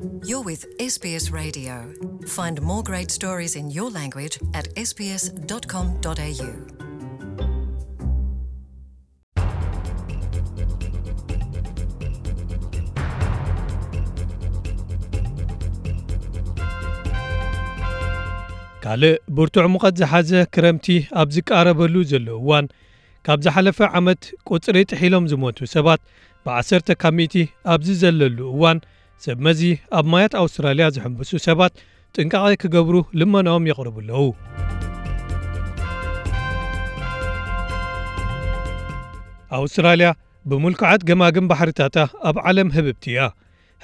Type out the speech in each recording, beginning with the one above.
You're with S B S Radio. Find more great stories in your language at S B S dot com dot A U. ካልእ ብርቱዕ ሙቐት ዝሓዘ ክረምቲ ኣብ ዝቃረበሉ ዘሎ እዋን፣ ካብ ዝሓለፈ ዓመት ቁጽሪ ጥሒሎም ዝሞቱ ሰባት ብዓሰርተ ካብ ሚእቲ ኣብ ዝዘለሉ እዋን፣ ሰብ መዚ ኣብ ማያት ኣውስትራልያ ዝሕምብሱ ሰባት ጥንቃቐ ክገብሩ ልመናኦም የቕርቡ ኣለዉ። ኣውስትራልያ ብምልኩዓት ገማግም ባሕርታታ ኣብ ዓለም ህብብቲ እያ።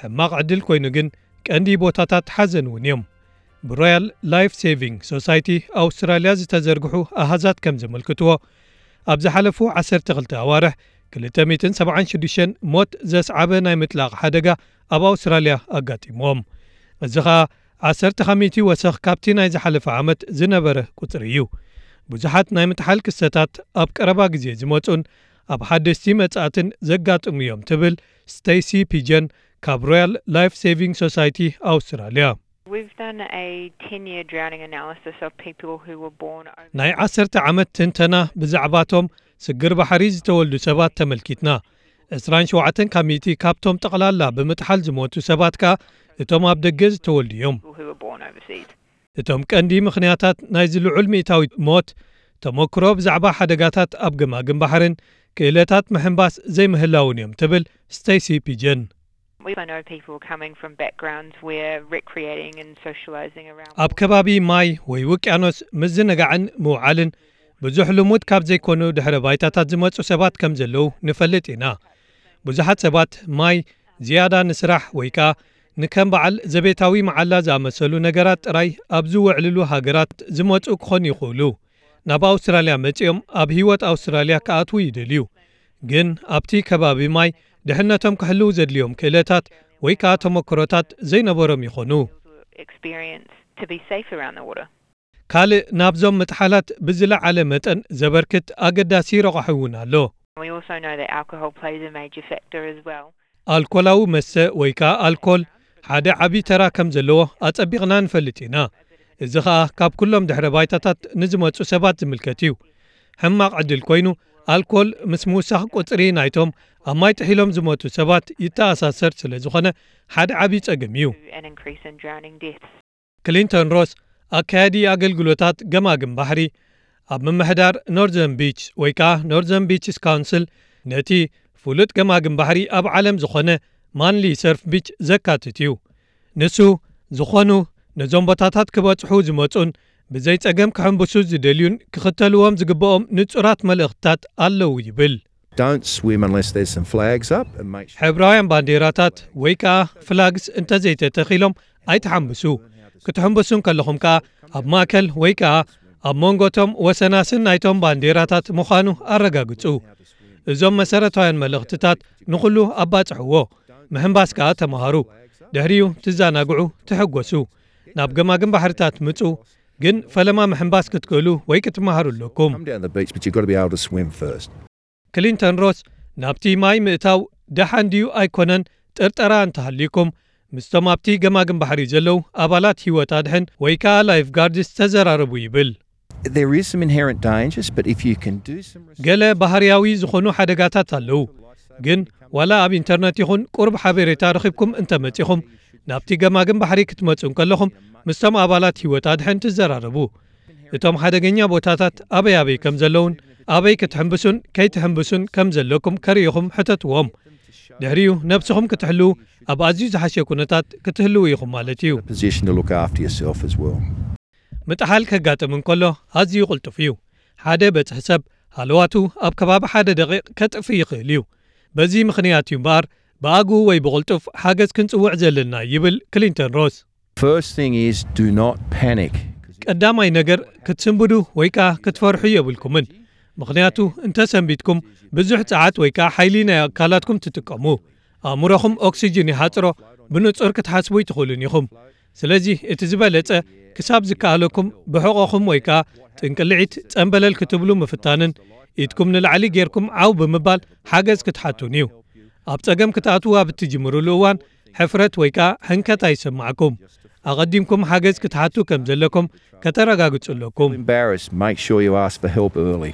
ሕማቕ ዕድል ኮይኑ ግን ቀንዲ ቦታታት ሓዘን እውን እዮም። ብሮያል ላይፍ ሴቪንግ ሶሳይቲ ኣውስትራልያ ዝተዘርግሑ ኣሃዛት ከም ዘመልክትዎ፣ ኣብ ዝሓለፉ ዓሰርተ ክልተ ኣዋርሕ ክልተ ሚእትን ሰብዓን ሽዱሽተን ሞት ዘስዓበ ናይ ምጥላቕ ሓደጋ ኣብ ኣውስትራልያ ኣጋጢምዎም። እዚ ኸኣ ዓሰርተ ካብ ሚእቲ ወሰኽ ካብቲ ናይ ዝሓለፈ ዓመት ዝነበረ ቁጽሪ እዩ። ብዙሓት ናይ ምጥሓል ክስተታት ኣብ ቀረባ ግዜ ዝመጹን ኣብ ሓደስቲ መጻእትን ዘጋጥሙ እዮም ትብል ስቴሲ ፒጀን ካብ ሮያል ላይፍ ሴቪንግ ሶሳይቲ ኣውስትራልያ። We've done a ten-year drowning analysis of people who were born over ናይ ዓሰርተ ዓመት ትንተና ብዛዕባቶም ስግር ባሕሪ ዝተወልዱ ሰባት ተመልኪትና። ዕስራን ሸውዓተን ካብ ሚእቲ ካብቶም ጠቕላላ ብምጥሓል ዝሞቱ ሰባት ከኣ እቶም ኣብ ደገ ዝተወልዱ እዮም። People who were born overseas. እቶም ቀንዲ ምኽንያታት ናይዚ ልዑል ሚእታዊ ሞት፣ ተመክሮ ብዛዕባ ሓደጋታት ኣብ ገማግም ባሕርን ክእለታት ምሕንባስ ዘይምህላውን እዮም ትብል ስቴሲ ፒጀን። We know people coming from backgrounds where recreating and socializing around ኣብ ከባቢ ማይ ወይ ውቅያኖስ ምዝንጋዕን ምውዓልን ብዙሕ ልሙድ ካብ ዘይኮኑ ድሕረ ባይታታት ዝመጹ ሰባት ከም ዘለዉ ንፈልጥ ኢና። ብዙሓት ሰባት ማይ ዝያዳ ንስራሕ ወይ ከኣ ንከም በዓል ዘቤታዊ መዓላ ዝኣመሰሉ ነገራት ጥራይ ኣብ ዝውዕልሉ ሃገራት ዝመጹ ክኾኑ ይኽእሉ። ናብ ኣውስትራልያ መጺኦም ኣብ ህይወት ኣውስትራልያ ክኣትዉ ይደልዩ። ግን ኣብቲ ከባቢ ማይ ድሕነቶም ክሕልው ዘድልዮም ክእለታት ወይ ከኣ ተመክሮታት ዘይነበሮም ይኾኑ። Experience to be safe around the water. ካልእ ናብዞም ምጥሓላት ብዝለዓለ መጠን ዘበርክት ኣገዳሲ ረቋሒ እውን ኣሎ። We also know that alcohol plays a major factor as well. ኣልኮላዊ መስተ ወይ ከኣ ኣልኮል ሓደ ዓቢ ተራ ከም ዘለዎ ኣጸቢቕና ንፈልጥ ኢና። እዚ ኸኣ ካብ ኩሎም ድሕረ ባይታታት ንዝመጹ ሰባት ዝምልከት እዩ። ሕማቕ ዕድል ኮይኑ፣ ኣልኮል ምስ ምውሳኽ ቁጽሪ ናይቶም ኣብ ማይ ጥሒሎም ዝሞቱ ሰባት ይተኣሳሰር ስለ ዝኾነ ሓደ ዓቢ ጸገም እዩ። An increase in drowning deaths. ክሊንተን ሮስ፣ ኣካያዲ ኣገልግሎታት ገማግም ባሕሪ ኣብ ምምሕዳር ኖርዘርን ቢች ወይ ከኣ ኖርዘርን ቢችስ ካውንስል፣ ነቲ ፍሉጥ ገማግም ባሕሪ ኣብ ዓለም ዝኾነ ማንሊ ሰርፍ ቢች ዘካትት እዩ። ንሱ፣ ዝኾኑ ነዞም ቦታታት ክበጽሑ ዝመጹን ብዘይ ጸገም ክሕንብሱ ዝደልዩን ክኽተልዎም ዝግብኦም ንጹራት መልእኽትታት ኣለዉ ይብል። Don't swim unless there's some flags up and make sure ሕብራውያን ባንዴራታት ወይ ከኣ ፍላግስ እንተዘይተተኺሎም ኣይትሓንብሱ። ክትሕንብሱ እንከለኹም ከኣ ኣብ ማእከል ወይ ከኣ ኣብ መንጎ እቶም ወሰናስን ናይቶም ባንዴራታት ምዃኑ ኣረጋግጹ። እዞም መሰረታውያን መልእኽትታት ንኹሉ ኣባጽሕዎ። ምሕንባስ ከኣ ተመሃሩ። ድሕሪኡ ትዘናግዑ፣ ትሕጎሱ። ናብ ገማግም ባሕርታት ምጹ፣ ግን ፈለማ ምሕንባስ ክትክእሉ ወይ ክትመሃሩ ኣለኩም። Come down the beach, but you've got to be able to swim first. ክሊንተን ሮስ፣ ናብቲ ማይ ምእታው ደሓን ድዩ ኣይኮነን ጥርጠራ እንተሃልዩኩም፣ ምስቶም ኣብቲ ገማግም ባሕሪ ዘለዉ ኣባላት ህይወት ኣድሕን ወይ ከኣ ላይፍ ጋርድስ ተዘራረቡ ይብል። There is some inherent dangers, but if you can do some research ገለ ባህርያዊ ዝኾኑ ሓደጋታት ኣለዉ፣ ግን ዋላ ኣብ ኢንተርነት ይኹን ቁሩብ ሓበሬታ ረኺብኩም እንተመጺኹም፣ ናብቲ ገማግም ባሕሪ ክትመጹ እንከለኹም ምስቶም ኣባላት ህይወት ኣድሕን ትዘራረቡ። እቶም ሓደገኛ ቦታታት ኣበይ ኣበይ ከም ዘለዉን ኣበይ ክትሕንብሱን ከይትሕንብሱን ከም ዘለኩም ከርእዩኹም ሕተትዎም። ድሕሪኡ ነብስኹም ክትሕልዉ ኣብ ኣዝዩ ዝሓሸ ኩነታት ክትህልዉ ኢኹም ማለት እዩ። Position to look after yourself as well. ምጥሓል ከጋጥም እንከሎ ኣዝዩ ቅልጡፍ እዩ። ሓደ በጽሒ ሰብ ሃለዋቱ ኣብ ከባቢ ሓደ ደቂቕ ከጥፍእ ይኽእል እዩ። በዚ ምኽንያት እዩ እምበኣር ብኣግኡ ወይ ብቕልጡፍ ሓገዝ ክንጽውዕ ዘለና ይብል ክሊንተን ሮስ። First thing is do not panic. ቀዳማይ ነገር ክትስንብዱ ወይ ከኣ ክትፈርሑ የብልኩምን። ምኽንያቱ እንተ ሰንቢድኩም ብዙሕ ጸዓት ወይ ከኣ ሓይሊ ናይ ኣካላትኩም ትጥቀሙ። ኣእምሮኹም ኦክሲጅን ይሓጽሮ፣ ብንጹር ክትሓስቡ ኣይትኽእሉን ኢኹም። ስለዚ እቲ ዝበለጸ ክሳብ ዝከኣለኩም ብሕቖኹም ወይ ከኣ ጥንቅልዒት ጸንበለል ክትብሉ ምፍታንን ኢድኩም ንላዕሊ ጌርኩም ዓው ብምባል ሓገዝ ክትሓቱን እዩ። ኣብ ጸገም ክትኣትዉ ኣብ እትጅምሩሉ እዋን ሕፍረት ወይ ከኣ ሕንከት ኣይሰማዕኩም። ኣቐዲምኩም ሓገዝ ክትሓቱ ከም ዘለኩም ከተረጋግጹ ኣለኩም። Embarrassed, make sure you ask for help early.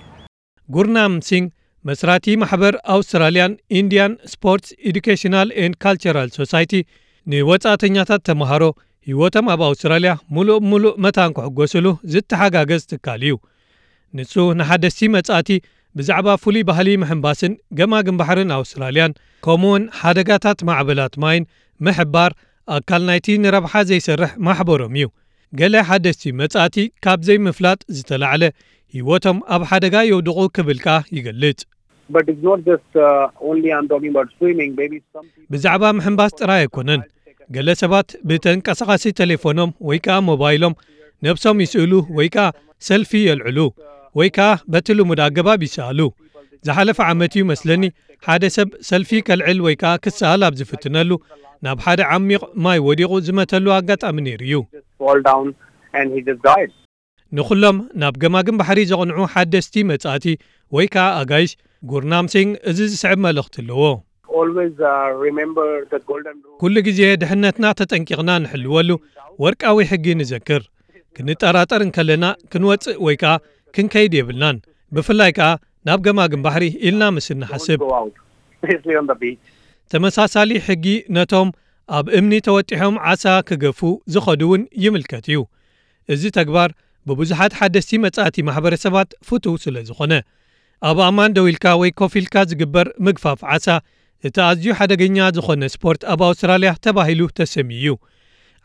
ጉርናም ሲንግ መስራቲ ማሕበር ኣውስትራልያን ኢንድያን ስፖርትስ ኤዱኬሽናል ኤንድ ካልቸራል ሶሳይቲ ንወጻእተኛታት ተምሃሮ ህይወቶም ኣብ ኣውስትራልያ ሙሉእ ብምሉእ መታን ክሕጎስሉ ዝተሓጋገዝ ትካል እዩ። ንሱ ንሓደስቲ መጻእቲ ብዛዕባ ፍሉይ ባህሊ ምሕንባስን ገማግም ባሕርን ኣውስትራልያን ከምኡውን ሓደጋታት ማዕበላት ማይን ምሕባር ኣካል ናይቲ ንረብሓ ዘይሰርሕ ማሕበሮም እዩ። ገለ ሓደስቲ መጻእቲ ካብ ዘይምፍላጥ ዝተላዕለ ህይወቶም ኣብ ሓደጋ የውድቑ ክብል ከኣ ይገልጽ። But it's not just uh, only I'm talking about swimming. Maybe some people ብዛዕባ ምሕንባስ ጥራይ ኣይኮነን። ገለ ሰባት ብተንቀሳቓሲ ቴሌፎኖም ወይ ከኣ ሞባይሎም ነብሶም ይስእሉ ወይ ከኣ ሰልፊ የልዕሉ ወይ ከኣ በቲ ልሙድ ኣገባብ ይሰኣሉ። ዝሓለፈ ዓመት እዩ መስለኒ ሓደ ሰብ ሰልፊ ከልዕል ወይ ከኣ ክሰኣል ኣብ ዝፍትነሉ ናብ ሓደ ዓሚቕ ማይ ወዲቑ ዝመተሉ ኣጋጣሚ ነይሩ እዩ። fall down and he just died. ንኹሎም ናብ ገማግም ባሕሪ ዘቕንዑ ሓደስቲ መጻእቲ ወይ ከኣ ኣጋይሽ ጉርናም ሲንግ እዚ ዝስዕብ መልእኽቲ ኣለዎ። Always uh, remember the golden rule. ኩሉ ግዜ ድሕነትና ተጠንቂቕና ንሕልወሉ ወርቃዊ ሕጊ ንዘክር። ክንጠራጠር እንከለና ክንወጽእ ወይ ከኣ ክንከይድ የብልናን። ብፍላይ ከኣ ናብ ገማግም ባሕሪ ኢልና ምስ እንሓስብ። Go out, especially on the beach. ተመሳሳሊ ሕጊ ነቶም ኣብ እምኒ ተወጢሖም ዓሳ ክገፉ ዝኸዱ እውን ይምልከት እዩ። እዚ ተግባር ብብዙሓት ሓደስቲ መጻእቲ ማሕበረሰባት ፍቱው ስለ ዝኾነ። ኣብ ኣማን ደው ኢልካ ወይ ኮፍ ኢልካ ዝግበር ምግፋፍ ዓሳ እቲ ኣዝዩ ሓደገኛ ዝኾነ ስፖርት ኣብ ኣውስትራልያ ተባሂሉ ተሰምዩ እዩ።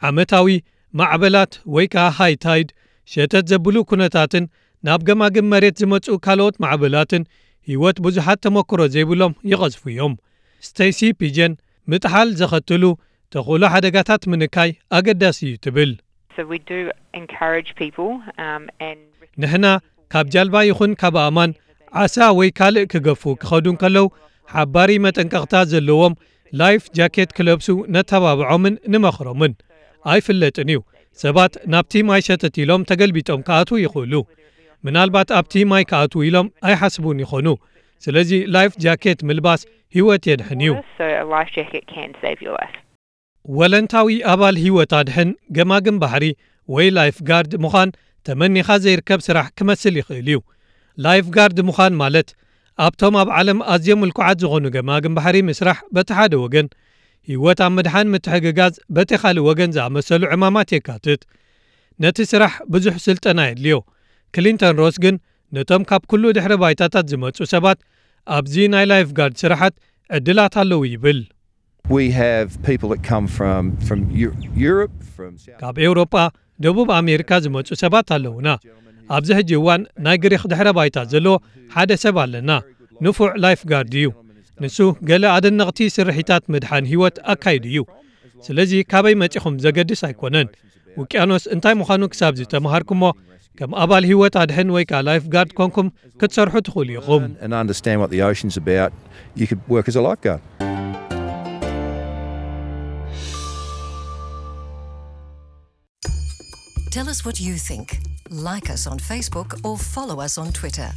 ዓመታዊ ማዕበላት ወይ ከኣ ሃይ ታይድ፣ ሸተት ዘብሉ ኩነታትን ናብ ገማግም መሬት ዝመጹ ካልኦት ማዕበላትን ህይወት ብዙሓት ተመክሮ ዘይብሎም ይቐዝፉ እዮም። ስቴሲ ፒጀን ምጥሓል ዘኸትሉ ተኽእሎ ሓደጋታት ምንካይ ኣገዳሲ እዩ ትብል። So we do encourage people um, and ንሕና ካብ ጃልባ ይኹን ካብ ኣእማን ዓሳ ወይ ካልእ ክገፉ ክኸዱ እንከለዉ ሓባሪ መጠንቀቕታ ዘለዎም ላይፍ ጃኬት ክለብሱ ነተባብዖምን ንመኽሮምን። ኣይፍለጥን እዩ፣ ሰባት ናብቲ ማይ ሸተት ኢሎም ተገልቢጦም ክኣትዉ ይኽእሉ። ምናልባት ኣብቲ ማይ ክኣትዉ ኢሎም ኣይሓስቡን ይኾኑ። ስለዚ ላይፍ ጃኬት ምልባስ ህይወት የድሕን እዩ። So a life jacket can save your life. ወለንታዊ ኣባል ህይወት ኣድሕን ገማግም ባሕሪ ወይ ላይፍ ጋርድ ምዃን ተመኒኻ ዘይርከብ ስራሕ ክመስል ይኽእል እዩ። ላይፍ ጋርድ ምዃን ማለት ኣብቶም ኣብ ዓለም ኣዝዮም ምልኩዓት ዝኾኑ ገማግም ባሕሪ ምስራሕ በቲ ሓደ ወገን፣ ህይወት ኣብ ምድሓን ምትሕግጋዝ በቲ ካልእ ወገን ዝኣመሰሉ ዕማማት የካትት። ነቲ ስራሕ ብዙሕ ስልጠና የድልዮ። ክሊንተን ሮስ ግን ነቶም ካብ ኩሉ ድሕሪ ባይታታት ዝመጹ ሰባት ኣብዚ ናይ ላይፍ ጋርድ ስራሓት ዕድላት ኣለዉ ይብል። We have people that come from from Eu- Europe, from South ካብ ኤውሮጳ፣ ደቡብ ኣሜሪካ ዝመጹ ሰባት ኣለዉና። ኣብዚ ሕጂ እዋን ናይ ግሪኽ ድሕረ ባይታ ዘለዎ ሓደ ሰብ ኣለና። ንፉዕ ላይፍ ጋርድ እዩ። ንሱ ገለ ኣደነቕቲ ስርሒታት ምድሓን ህይወት ኣካይዱ እዩ። ስለዚ ካበይ መጺኹም ዘገድስ ኣይኮነን። ውቅያኖስ እንታይ ምዃኑ ክሳብ ዝተምሃርኩሞ ከም ኣባል ህይወት ኣድሕን ወይ ከኣ ላይፍ ጋርድ ኮንኩም ክትሰርሑ ትኽእሉ ኢኹም። And understand what the ocean's about, you could work as a lifeguard. Tell us what you think. Like us on Facebook or follow us on Twitter.